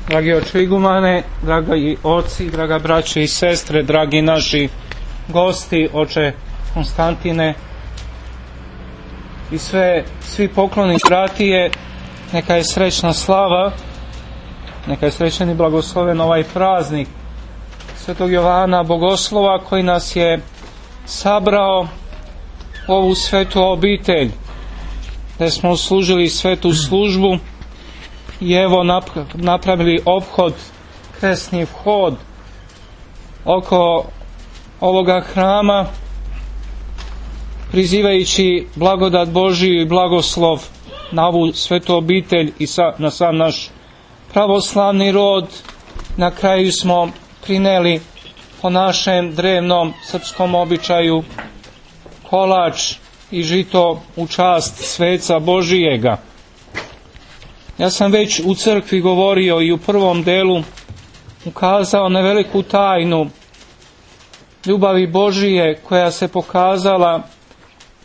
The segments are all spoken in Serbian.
Dragi oče igumane, dragi oci, draga braće i sestre, dragi naši gosti, oče Konstantine i svi pokloni bratije, neka je srećna slava, neka je srećan i blagosloven ovaj praznik Svetog Jovana Bogoslova koji nas je sabrao u ovu svetu obitelj, gdje smo služili svetu službu i evo napravili ophod, kresni vhod oko ovoga hrama, prizivajući blagodat Božiju i blagoslov na ovu svetu obitelj i na sam naš pravoslavni rod. Na kraju smo prineli po našem drevnom srpskom običaju kolač i žito u čast sveca Božijega. Ja sam već u crkvi govorio i u prvom delu ukazao na veliku tajnu ljubavi Božije koja se pokazala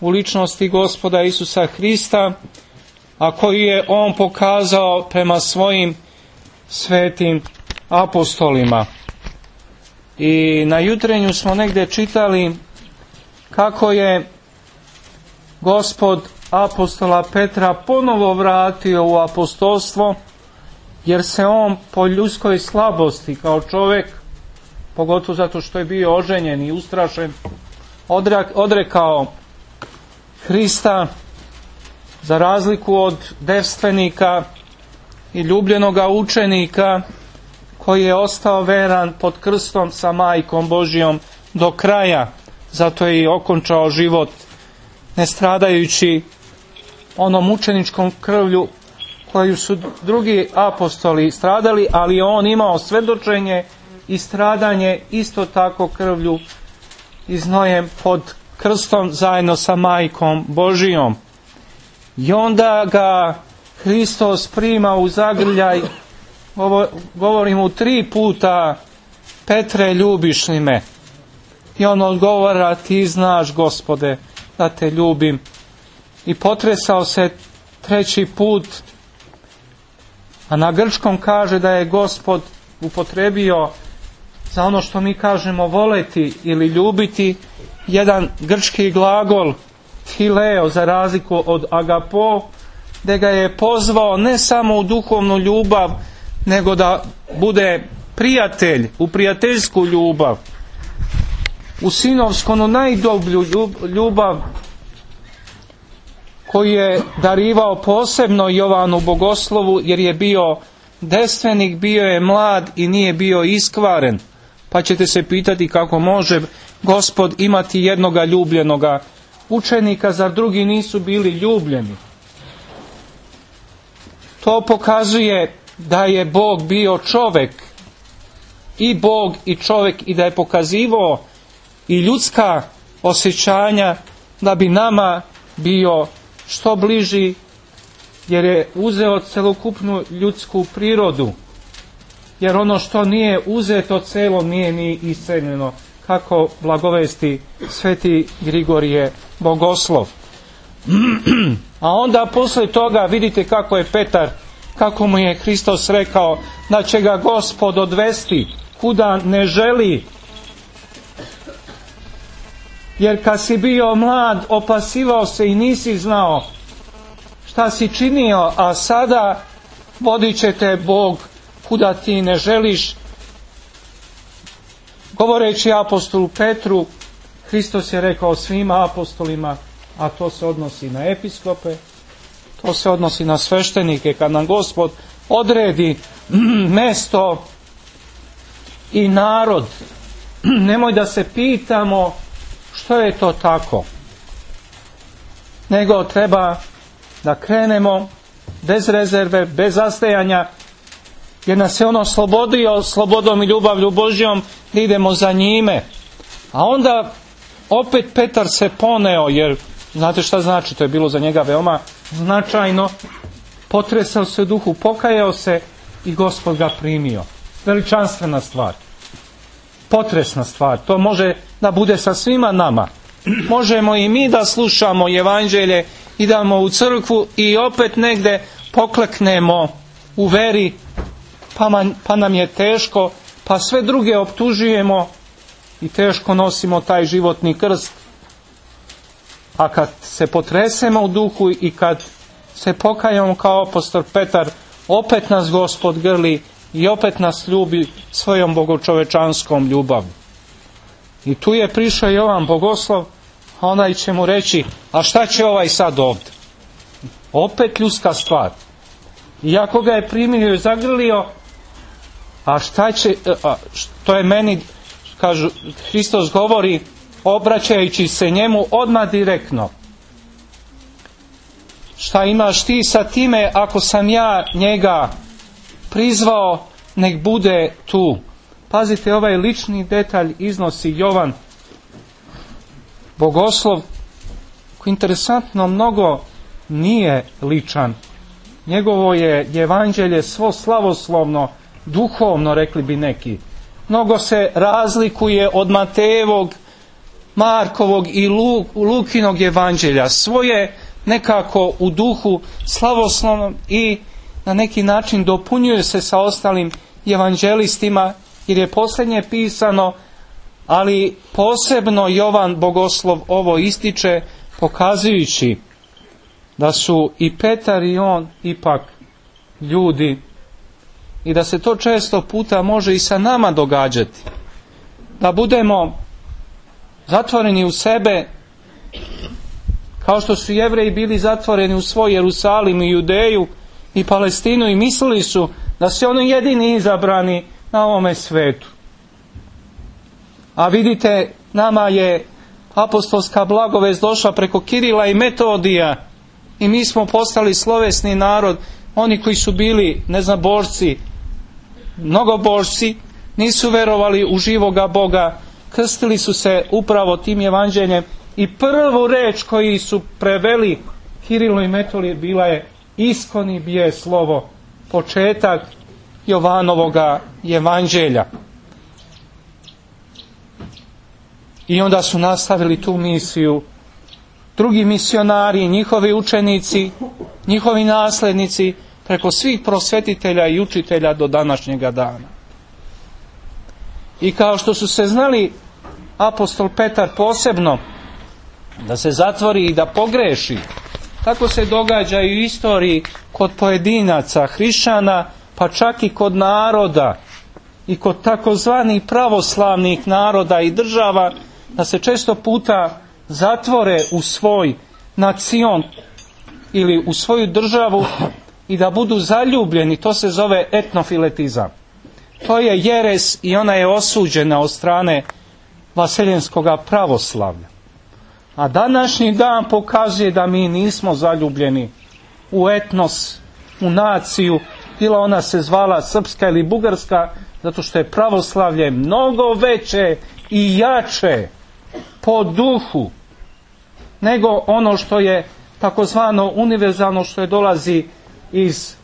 u ličnosti Gospoda Isusa Hrista, a koju je On pokazao prema svojim svetim apostolima. I na jutrenju smo negdje čitali kako je Gospod apostola Petra ponovo vratio u apostolstvo, jer se on po ljudskoj slabosti kao čovjek, pogotovo zato što je bio oženjen i ustrašen, odrekao Hrista, za razliku od devstvenika i ljubljenoga učenika koji je ostao veran pod krstom sa majkom Božijom do kraja. Zato je i okončao život ne stradajući onom mučeničkom krvlju koju su drugi apostoli stradali, ali on imao svedočenje i stradanje isto tako krvlju i znojem pod krstom zajedno sa majkom Božijom. I onda ga Hristos prima u zagrljaj, govori mu 3 puta: Petre, ljubiš li me? I on odgovara: ti znaš, Gospode, da te ljubim. I potresao se 3. put, a na grčkom kaže da je Gospod upotrebio za ono što mi kažemo voleti ili ljubiti jedan grčki glagol phileo, za razliku od agapo, gdje ga je pozvao ne samo u duhovnu ljubav, nego da bude prijatelj, u prijateljsku ljubav, u sinovsku, onu najdublju ljubav koju je darivao posebno Jovanu Bogoslovu, jer je bio devstvenik, bio je mlad i nije bio iskvaren. Pa ćete se pitati kako može Gospod imati jednoga ljubljenoga učenika, zar drugi nisu bili ljubljeni? To pokazuje da je Bog bio čovjek, i Bog i čovjek, i da je pokazivao i ljudska osjećanja da bi nama bio što bliži, jer je uzeo celokupnu ljudsku prirodu, jer ono što nije uzeto celo nije ni iseljeno, kako blagovesti sveti Grigorije Bogoslov. A onda poslije toga vidite kako je Petar, kako mu je Hristos rekao da će ga Gospod odvesti kuda ne želi. Jer kad si bio mlad, opasivao se i nisi znao šta si činio, a sada vodit će te Bog kuda ti ne želiš. Govoreći apostolu Petru, Hristos je rekao svima apostolima, a to se odnosi na episkope, to se odnosi na sveštenike, kad nam Gospod odredi mesto i narod, nemoj da se pitamo što je to tako, nego treba da krenemo bez rezerve, bez zastajanja, jer nas je on oslobodio slobodom i ljubavlju Božjom, da idemo za njime. A onda opet Petar se poneo, jer znate šta znači, to je bilo za njega veoma značajno. Potresao se u duhu, pokajao se i Gospod ga primio. Veličanstvena stvar, potresna stvar. To može da bude sa svima nama. Možemo i mi da slušamo evanđelje, idemo u crkvu i opet negdje pokleknemo u veri, pa nam je teško, pa sve druge optužujemo i teško nosimo taj životni krst. A kad se potresemo u duhu i kad se pokajamo kao apostol Petar, opet nas Gospod grli i opet nas ljubi svojom bogočovečanskom ljubavi. I tu je prišao Jovan Bogoslov, a onaj će mu reći, a šta će ovaj sad ovdje? Opet ljudska stvar. Iako ga je primio i zagrlio, a šta će, to je meni, kažu, Hristos govori, obraćajući se njemu odmah direktno. Šta imaš ti sa time ako sam ja njega prizvao, nek bude tu. Pazite, ovaj lični detalj iznosi Jovan Bogoslov, koji interesantno mnogo nije ličan. Njegovo je evanđelje svo slavoslovno, duhovno, rekli bi neki. Mnogo se razlikuje od Matejevog, Markovog i Lukinog evanđelja. Svoje nekako u duhu slavoslovnom i na neki način dopunjuje se sa ostalim evanđelistima, jer je posljednje pisano, ali posebno Jovan Bogoslov ovo ističe, pokazujući da su i Petar i on ipak ljudi i da se to često puta može i sa nama događati. Da budemo zatvoreni u sebe, kao što su Jevreji bili zatvoreni u svoj Jerusalim i Judeju i Palestinu i mislili su da su oni jedini izabrani na ovome svetu. A vidite, nama je apostolska blagovest došla preko Kirila i Metodija i mi smo postali slovesni narod. Oni koji su bili neznabožci, mnogobožci, nisu verovali u živoga Boga, krstili su se upravo tim evanđeljem i prvu reč koju su preveli Kirilu i Metodiju bila je iskoni bije slovo, početak Jovanovoga evanđelja. I onda su nastavili tu misiju drugi misionari, njihovi učenici, njihovi naslednici, preko svih prosvetitelja i učitelja do današnjega dana. I kao što su se znali apostol Petar posebno da se zatvori i da pogreši, tako se događa i u istoriji kod pojedinaca, hrišćana, pa čak i kod naroda i kod takozvanih pravoslavnih naroda i država, da se često puta zatvore u svoj nacion ili u svoju državu i da budu zaljubljeni. To se zove etnofiletizam. To je jeres i ona je osuđena od strane vaseljenskog pravoslavlja. A današnji dan pokazuje da mi nismo zaljubljeni u etnos, u naciju, bila ona se zvala srpska ili bugarska, zato što je pravoslavlje mnogo veće i jače po duhu nego ono što je takozvano univerzalno, što je dolazi iz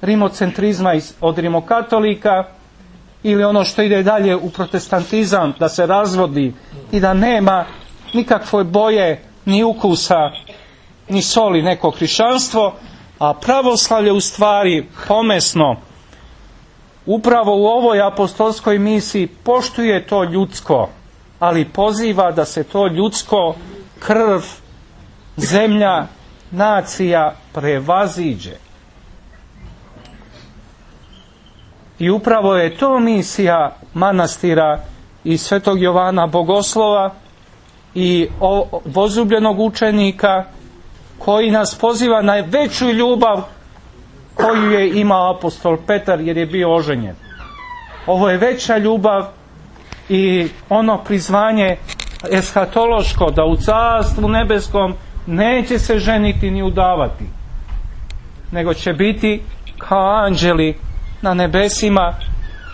rimocentrizma, od rimokatolika, ili ono što ide dalje u protestantizam, da se razvodi i da nema nikakve boje, ni ukusa, ni soli neko hrišćanstvo, a pravoslavlje u stvari pomesno upravo u ovoj apostolskoj misiji poštuje to ljudsko, ali poziva da se to ljudsko, krv, zemlja, nacija prevaziđe. I upravo je to misija manastira i svetog Jovana Bogoslova i vozljubljenog učenika, koji nas poziva na veću ljubav koju je imao apostol Petar, jer je bio oženjen. Ovo je veća ljubav i ono prizvanje eshatološko, da u carstvu nebeskom neće se ženiti ni udavati, nego će biti kao anđeli na nebesima.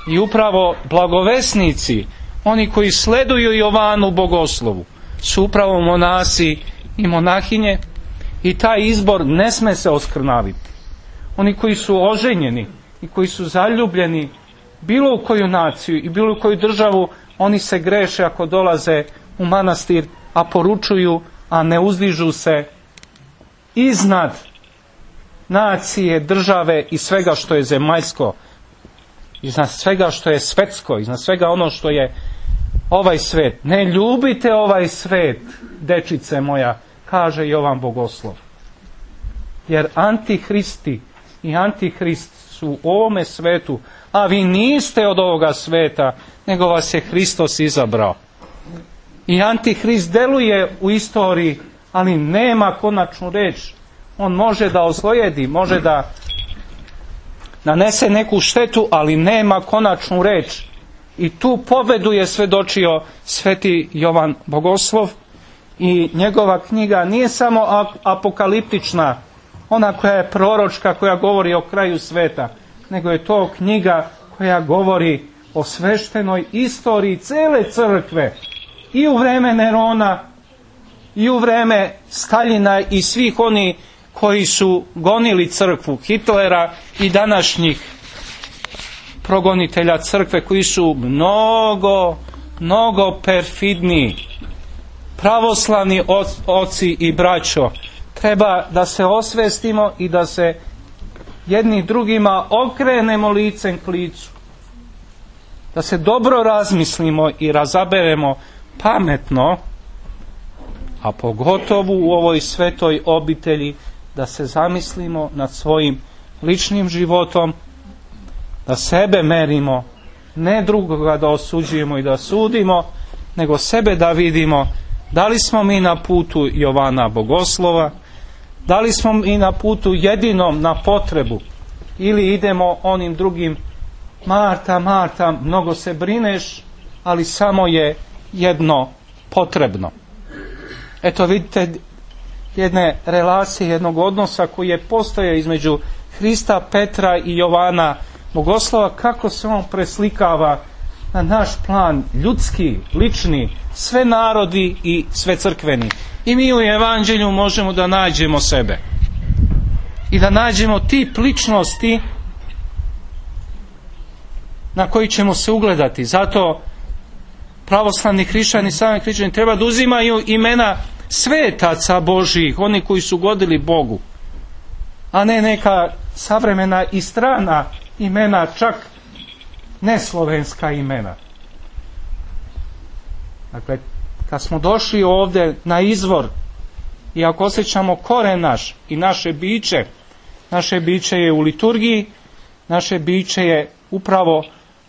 I upravo blagovesnici, oni koji sleduju Jovanu Bogoslovu, su upravo monasi i monahinje, i taj izbor ne sme se oskrnaviti. Oni koji su oženjeni i koji su zaljubljeni bilo u koju naciju i bilo u koju državu, oni se greše ako dolaze u manastir, a poručuju, a ne uzdižu se iznad nacije, države i svega što je zemaljsko. iznad svega što je svetsko, iznad svega ono što je ovaj svet. Ne ljubite ovaj svet, dečice moja, kaže Jovan Bogoslov. Jer antihristi i antihrist su u ovome svetu, a vi niste od ovoga sveta, nego vas je Hristos izabrao. I antihrist deluje u istoriji, ali nema konačnu reč. On može da ozlojedi, može da nanese neku štetu, ali nema konačnu reč. I tu pobedu je svedočio sveti Jovan Bogoslov i njegova knjiga nije samo apokaliptična, ona koja je proročka, koja govori o kraju sveta, nego je to knjiga koja govori o sveštenoj istoriji cele crkve i u vreme Nerona i u vreme Staljina i svih oni koji su gonili crkvu, Hitlera i današnjih progonitelja crkve koji su mnogo perfidniji. Pravoslavni oci i braćo, treba da se osvestimo i da se jedni drugima okrenemo licem k licu. Da se dobro razmislimo i razaberemo pametno, a pogotovo u ovoj svetoj obitelji da se zamislimo nad svojim ličnim životom, da sebe merimo, ne drugoga da osuđujemo i da sudimo, nego sebe da vidimo da li smo mi na putu Jovana Bogoslova, da li smo mi na putu jedinom na potrebu ili idemo onim drugim: Marta, Marta, mnogo se brineš, ali samo je jedno potrebno. Eto vidite jedne relacije, jednog odnosa koji je postojao između Hrista, Petra i Jovana Bogoslova, kako se on preslikava na naš plan ljudski, lični, sve narodi i sve crkveni. I mi u Evanđelju možemo da nađemo sebe i da nađemo tip ličnosti na koji ćemo se ugledati. Zato pravoslavni hrišćani, sami hrišćani treba da uzimaju imena svetaca Božijih, oni koji su godili Bogu, a ne neka savremena i strana imena, čak neslovenska imena. Dakle, kad smo došli ovdje na izvor i ako osjećamo koren naš i naše biće je u liturgiji, naše biće je upravo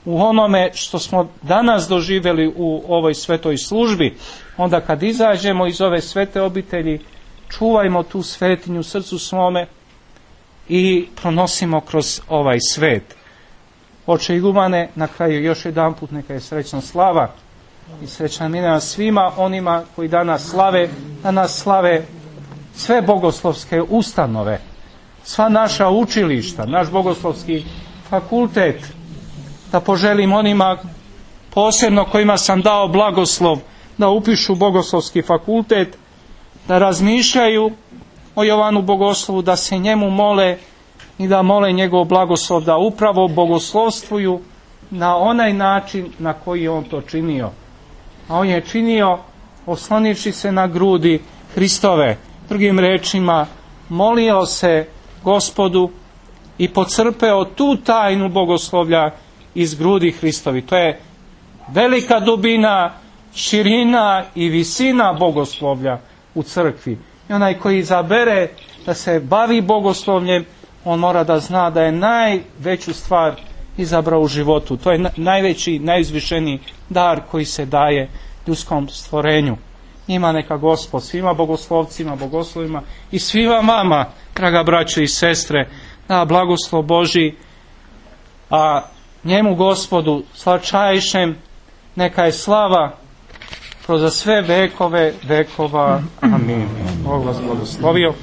u onome što smo danas doživjeli u ovoj svetoj službi. Onda kad izađemo iz ove svete obitelji, čuvajmo tu svetinju u srcu svome i pronosimo kroz ovaj svet. Oče igumane, na kraju još jedan put neka je srećna slava i srećna milina svima onima koji danas slave sve bogoslovske ustanove, sva naša učilišta, naš bogoslovski fakultet. Da poželim onima posebno kojima sam dao blagoslov da upišu bogoslovski fakultet, da razmišljaju o Jovanu Bogoslovu, da se njemu mole i da mole njegov blagoslov, da upravo bogoslovstvuju na onaj način na koji je on to činio. A on je činio oslonivši se na grudi Hristove. Drugim rečima, molio se Gospodu i pocrpeo tu tajnu bogoslovlja iz grudi Hristovi. To je velika dubina, širina i visina bogoslovlja u crkvi. I onaj koji izabere da se bavi bogoslovljem, on mora da zna da je najveću stvar izabrao u životu. To je najveći, najizvišeniji dar koji se daje ljudskom stvorenju. Njima neka Gospod, svima bogoslovcima, bogoslovima i svima vama, draga braćo i sestre, da blagoslov Božji, a njemu Gospodu slavčajšem neka je slava kroz sve vekove vekova. Amin. Bog vas blagoslovio.